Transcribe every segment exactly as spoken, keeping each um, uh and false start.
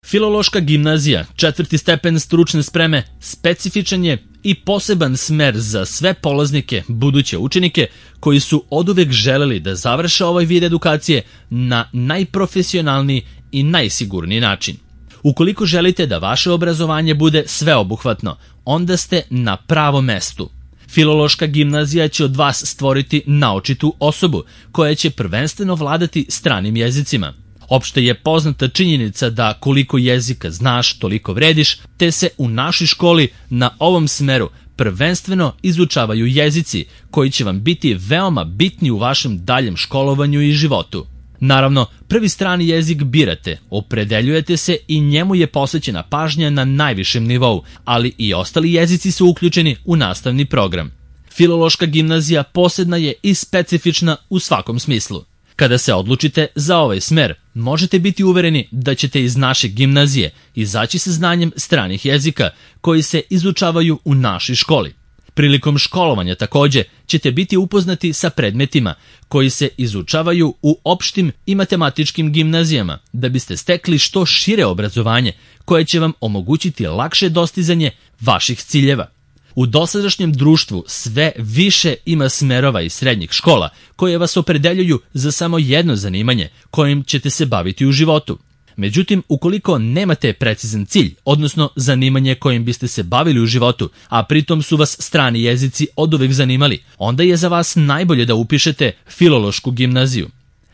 Filološka gimnazija, četvrti stepen stručne spreme, specifičan je i poseban smer za sve polaznike, buduće učenike koji su oduvek želeli da završe ovaj vid edukacije na najprofesionalniji i najsigurniji način. Ukoliko želite da vaše obrazovanje bude sveobuhvatno, onda ste na pravom mestu. Filološka gimnazija će od vas stvoriti naočitu osobu koja će prvenstveno vladati stranim jezicima. Opšte je poznata činjenica da koliko jezika znaš, toliko vrediš, te se u našoj školi na ovom smeru prvenstveno izučavaju jezici koji će vam biti veoma bitni u vašem daljem školovanju i životu. Naravno, prvi strani jezik birate, opredeljujete se i njemu je posvećena pažnja na najvišem nivou, ali i ostali jezici su uključeni u nastavni program. Filološka gimnazija posebna je i specifična u svakom smislu. Kada se odlučite za ovaj smer, možete biti uvereni da ćete iz naše gimnazije izaći sa znanjem stranih jezika koji se izučavaju u našoj školi. Prilikom školovanja takođe ćete biti upoznati sa predmetima koji se izučavaju u opštim i matematičkim gimnazijama da biste stekli što šire obrazovanje koje će vam omogućiti lakše dostizanje vaših ciljeva. U dosadašnjem društvu sve više ima smerova iz srednjih škola koje vas opredeljuju za samo jedno zanimanje kojim ćete se baviti u životu. Međutim, ukoliko nemate precizan cilj, odnosno zanimanje kojim biste se bavili u životu, a pritom su vas strani jezici oduvek zanimali, onda je za vas najbolje da upišete Filološku gimnaziju.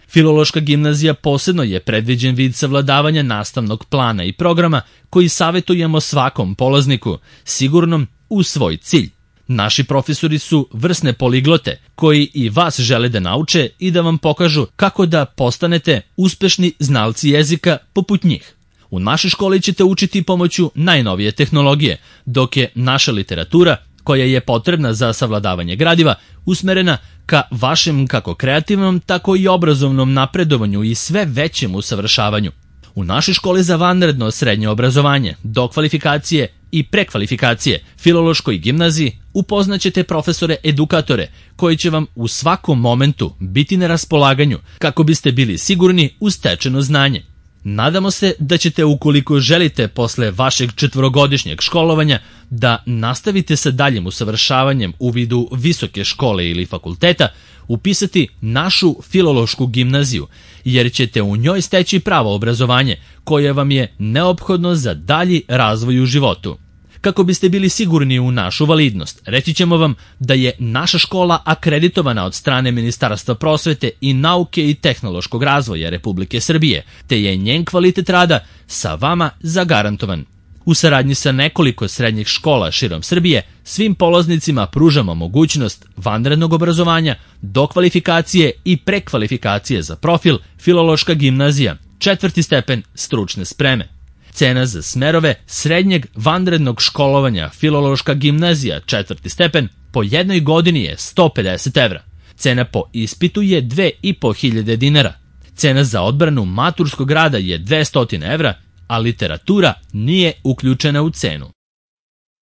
Filološka gimnazija posebno je predviđen vid savladavanja nastavnog plana i programa koji savetujemo svakom polazniku, sigurnom u svoj cilj. Naši profesori su vrsne poliglote koji i vas žele da nauče i da vam pokažu kako da postanete uspešni znalci jezika poput njih. U našoj školi ćete učiti pomoću najnovije tehnologije, dok je naša literatura, koja je potrebna za savladavanje gradiva, usmerena ka vašem kako kreativnom, tako i obrazovnom napredovanju i sve većem usavršavanju. U našoj školi za vanredno srednje obrazovanje, dokvalifikacije i prekvalifikacije, Filološkoj gimnaziji, upoznaćete profesore edukatore koji će vam u svakom momentu biti na raspolaganju kako biste bili sigurni u stečeno znanje. Nadamo se da ćete, ukoliko želite posle vašeg četvorogodišnjeg školovanja da nastavite sa daljim usavršavanjem u vidu visoke škole ili fakulteta, upisati našu Filološku gimnaziju, jer ćete u njoj steći pravo obrazovanje koje vam je neophodno za dalji razvoj u životu. Kako biste bili sigurni u našu validnost, reći ćemo vam da je naša škola akreditovana od strane Ministarstva prosvete i nauke i tehnološkog razvoja Republike Srbije, te je njen kvalitet rada sa vama zagarantovan. U saradnji sa nekoliko srednjih škola širom Srbije, svim polaznicima pružamo mogućnost vanrednog obrazovanja, dokvalifikacije i prekvalifikacije za profil Filološka gimnazija, četvrti stepen stručne spreme. Cena za smerove srednjeg vanrednog školovanja Filološka gimnazija, četvrti stepen, po jednoj godini je sto pedeset evra. Cena po ispitu je dve i po hiljade dinara. Cena za odbranu maturskog rada je dvesta evra, a literatura nije uključena u cenu.